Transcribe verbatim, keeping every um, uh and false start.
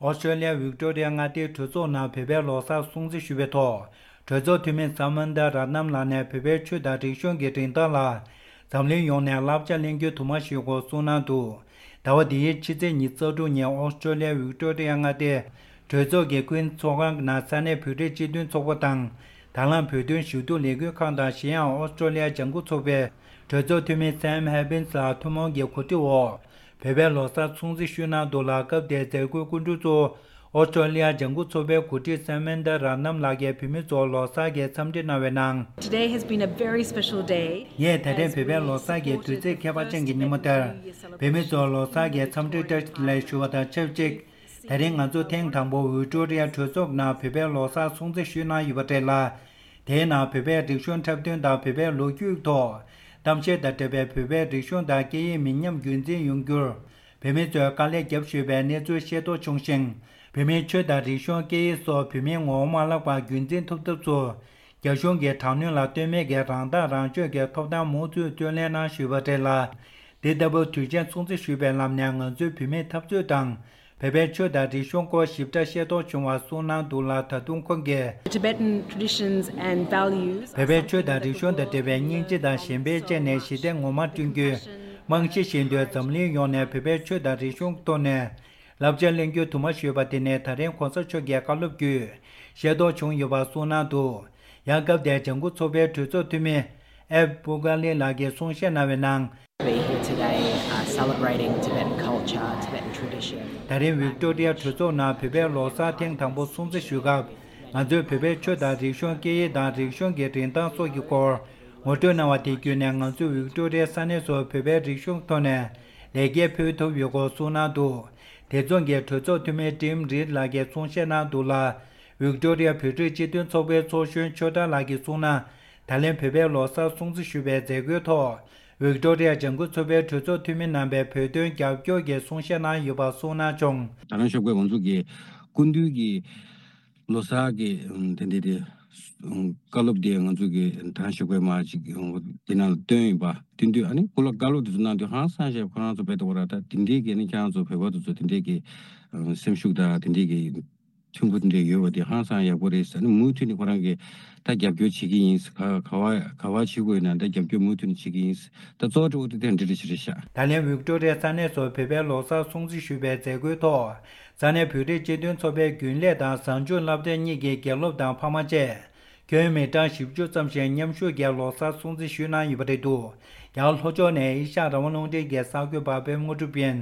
ཨོ་སི་ཀྲོ་ལི་ཡ་ཝིག་ཏོ་རི་ཡ་མངའ་སྡེའི་གྲོས་ཚོགས་ནང་བོད་པའི་ལོ་གསར་སྲུང་བརྩི་ཞུས་པའི་ཐོག་གྲོས་ཚོགས་འཐུས་མི་ས་མན་ད་ར་ནམ་ལགས་ནས་བོད་པའི་ཆོས་དང་རིག་གཞུང་གི་རིན་ཐང་ལ་འཛམ་གླིང་ཡོངས་ནས་བསླབ་བྱ་ལེན་རྒྱུ་དུ་མ་ཞུ་དགོས་གསུངས་གནང་འདུག་ཟླ་བ་འདིའི་ཕྱི་ཚེས་ཉི་ཤུ་རྩ་དྲུག་ཉིན་ཨོ་སི་ཀྲོ་ལི་ཡ་ཝིག་ཏོ་རི་ཡ་མངའ་སྡེའི་གྲོས་ཚོགས་ཀྱི་ཀུན་ཚོགས་ཁང་ནང་ས་གནས་བོད་རིགས་སྤྱི་མཐུན་ཚོགས་པ་དང་། དང་བླངས་བོད་དོན་ཞུ་གཏུག་ལས་འགུལ་ཁང་དང་གཞན་ཡང་ཨོ་སི་ཀྲོ་ལི་ཡ་ལྗང་ཁུ་ཚོགས་པའི་གྲོས་ཚོགས་འཐུས་མི་Sam Hibbins་ལགས་ཐུན་མོང་གི་གོ་སྒྲིག་འོག་བོད་པའི་ལོ་གསར་སྲུང་བརྩི་ཞུས་གནང་འདུག་ལ། སྐབས་དེར་མཛད་སྒོའི་སྐུ་མགྲོན་གཙོ་བོ་ཨོ་སི་ཀྲོ་ལི་ཡ་ལྗང་ཁུ་ཚོགས་པའི་འགོ་ཁྲིད་ས་མན་ད་ར་ནམ་ལགས་ཀྱིས་བོད་མི་ཚོར་ལོ་གསར་གྱི་འཚམས་འདྲི་གནང་བའི་ནང་། Today has been a very special day. ངས་ད་ཐེངས་བོད་པའི་ལོ་གསར་གྱི་དུས་ཚིགས་ཁྱད་པར་ཅན་གྱི་ཉིན་མོ་དེར། བོད་མི་ཚོར་ལོ་གསར་གྱི་འཚམས་འདྲི་བཀྲ་ཤིས་བདེ་ལེགས་ཞུ་བ་དང་ཆབས་ཅིག་ད་རིང་ང་ཚོ་ཐེངས་དང་པོ་ཝིག་ཏོ་རི་ཡ་གྲོས་ཚོགས་ནང་བོད་པའི་ལོ་གསར་སྲུང་བརྩི་ཞུས་གནང་ཡོད་པ་རེད་ལ། དེའི་ནང་བོད་པའི་རིག་གཞུང་འཁྲབ་སྟོན་དང་བོད་པའི་ལོ་རྒྱུས་ཐོག་གཏམ་བཤད་དང་འབྲེལ་བའི་བོད་པའི་རིག་གཞུང་དང་སྐད་ཡིག་མི་ཉམས་རྒྱུན་འཛིན་ཡོང་རྒྱུར་བོད་མི་ཚོས་དཀའ་ལས་བརྒྱབ་ཞུས་པའི་གནས་ཚུལ་ཤེས་རྟོགས་བྱུང་ཞིང་། བོད་མིའི་ཆོས་དང་རིག་གཞུང་སྐད་ཡིག་སོགས་བོད་མིའི་ངོ་བོ་མ་བརླག་པར་རྒྱུན་འཛིན་ཐུབ་ཐབས་སུ། རྒྱ་གཞུང་གིས་དྲག་གནོན་ལ་ལྟོས་མེད་ཀྱིས་རང་ཐག་རང་གཅོད་ཀྱི་ཐོབ་ཐང་མུ་མཐུད་རྩོད་ལེན་གནང་ཞུས་པ་རེད་ལ། འདི་ལྟ་བུ་དུས་ཆེན་སྲུང་བརྩི་ཞུས་པའི་ལམ་ནས་ང་ཚོའི་བོད་མིའི་འཐབ་རྩོད་དང་། བོད་པའི་ཆོས་དང་རིག་གཞུང་སྐོར་ཞིབ་ཕྲ་ཤེས་རྟོགས་བྱུང་བ་གསུངས་གནང་འདུག་ལ། ད་དུང་ཁོང་གིས། Tibetan traditions and values བོད་པའི་ཆོས་དང་རིག་གཞུང་དང་འབྲེལ་བའི་སྙིང་རྗེ་དང་གཞན་ཕན་བཅས་ནས་ཞི་བདེ་ངོ་མ་བསྐྲུན་རྒྱུའི་རྨང་གཞི་བཞིན་དུ་འཛམ་གླིང་ཡོངས་ནས་བོད་པའི་ཆོས་དང་རིག་གཞུང་ཐོག་ནས་བསླབ་བྱ་ལེན་རྒྱུ་དུ་མ་ཞུས་པ་དེ་ནི་ད་རིང་གོང་ས་མཆོག་གི་བཀའ་སློབ་བརྒྱུད་ཤེས་རྟོགས་བྱུང་ཡོད་པ་གསུངས་གནང་འདུག་ཡང་སྐབས་དེར་ལྗང་ཁུ་ཚོགས་པའི་གྲོས་ཚོགས་འཐུས་མི་ཨེབ་པུ་ཀ་ལི་ལགས་ཀྱིས་གསུང་བཤད་གནང་བའི་ནང་། We're here today, uh, celebrating Tibetan culture, Tibetan tradition. ད་རིང་ཝིག་ཏོ་རི་ཡ་གྲོས་ཚོགས་ནང་བོད་པའི་ལོ་གསར་ཐེངས་དང་པོ་སྲུང་བརྩི་ཞུ་སྐབས། ང་ཚོས་བོད་པའི་ཆོས་དང་རིག་གཞུང་སྐད་ཡིག་དང་རིག་གཞུང་གི་རིན་ཐང་སོགས་ཀྱི་སྐོར་ངོ་སྤྲོད་གནང་བ་དེ་བརྒྱུད་ནས་ང་ཚོས་ཝིག་ཏོ་རི་ཡའི་ས་གནས་སུ་བོད་པའི་རིག་གཞུང་ཐོག་ནས་ལེགས་སྐྱེས་ཕུལ་ཐུབ་ཡོད་སྐོར་གསུངས་གནང་འདུག་དེ་མཚུངས་ཀྱི་གྲོས་ཚོགས་འཐུས་མི་ཀྲིམ་རིད་ལགས་ཀྱིས་གསུང་བཤད་གནང་འདུག་ལ། ཝིག་ཏོ་རི་ཡ་བོད་རིགས་སྤྱི་མཐུན་ཚོགས་པའི་ཚོགས་གཞོན་ཆོས་གྲགས་ལགས་ཀྱིས་གསུངས་ན། ད་ལན་བོད་པའི་ལོ་གསར་སྲུང་བརྩི་ཞུ་བའི་མཛད་སྒོའི་ཐོག་ཝིག་ཏོ་རི་ཡ་ལྗང་ཁུ་ཚོགས་པའི་གྲོས་ཚོགས་འཐུས་མི་རྣམ་པས་བོད་དོན་རྒྱབ་སྐྱོར་གྱི་གསུང་བཤད་གནང་ཡོད་པ་གསུངས་གནང་བྱུང་། ད་རང་ཞོགས་པའི་ང་ཚོ་གི་སྐུ་མདུན་གྱི་ལོ་གསར་གྱི་ཨམ་དེ་འདྲ་དེ་ཨམ་བཀའ་སློབ་དེ་ང་ཚོ་གི་ད་རང་ཞོགས་པའི་མ་ཅིག་ཨམ་དེ་ནང་ལ་བཏོན་ཡོད་པ། བསྟུན་དུས་ཨ་ནི་སྐུ་ལ་བཀའ་སློབ་དེ་ཚོ་གནང་དུས་ཧང་སང་ཞེས་ཁོ་རང་ཚོ་བས་ཏོ་བ་ར་ད་དེ་འདྲའི་གི་ནི་ཁྱེད་རང་ཚོ་བོད་པ་དེ་ཚོ་དེ་འདྲའི་གི་ཨམ་སེམས་ཤུགས་དང་དེ་འདྲའི་གི་མཐུན་པོ་དེ་འདྲ་ཡོད་པ་དེ་ཧང་སང་ཡག་པོ་རེད་ཟེར་ནས་མུ་མཐུད་ནས་ཁོ་རང་གིས་ད་རྒྱབ་སྐྱོར་བྱེད་ཀྱི་ཡིན། ག་ག་བ་ག་བ་བྱེད་དགོས་ན་ད་རྒྱབ་སྐྱོར་མུ་མཐུད་ནས་བྱེད་ཀྱི་ཡིན། ད་གཙོ་བོ་དེ་དེ་འདྲ་རེད་ཤག་ད་ལན་ཝིག་ཏོ་རི་ཡ་ས་གནས་སུ་བོད་པའི་ལོ་གསར་སྲུང་བརྩི་ཞུས་པའི་མཛད་སྒོའི་ཐོག་ས་གནས་བོད་རིགས་སྤྱི་མཐུན་ཚོགས་པའི་རྒྱུན་ལས་དང་གཟའ་མཇུག་སློབ་གྲྭ་གཉིས་ཀྱི་དགེ་སློབ་དང་ཕ་མ་བཅས་ཁྱོན་མི་གྲངས་བཞི་བཅུ་ཙམ་ཞིག་མཉམ་ཞུགས་ཀྱིས་ལོ་གསར་སྲུང་བརྩི་ཞུས་གནང་ཡོད་པ་རེད་འདུག་ཡང་ལྷོ་ཕྱོགས་ནས་ཨེ་ཤ་ཡ་རང་དབང་རླུང་འཕྲིན་གྱི་གསར་འགོད་པ་པད་མ་དངོས་གྲུབ་ཡིན།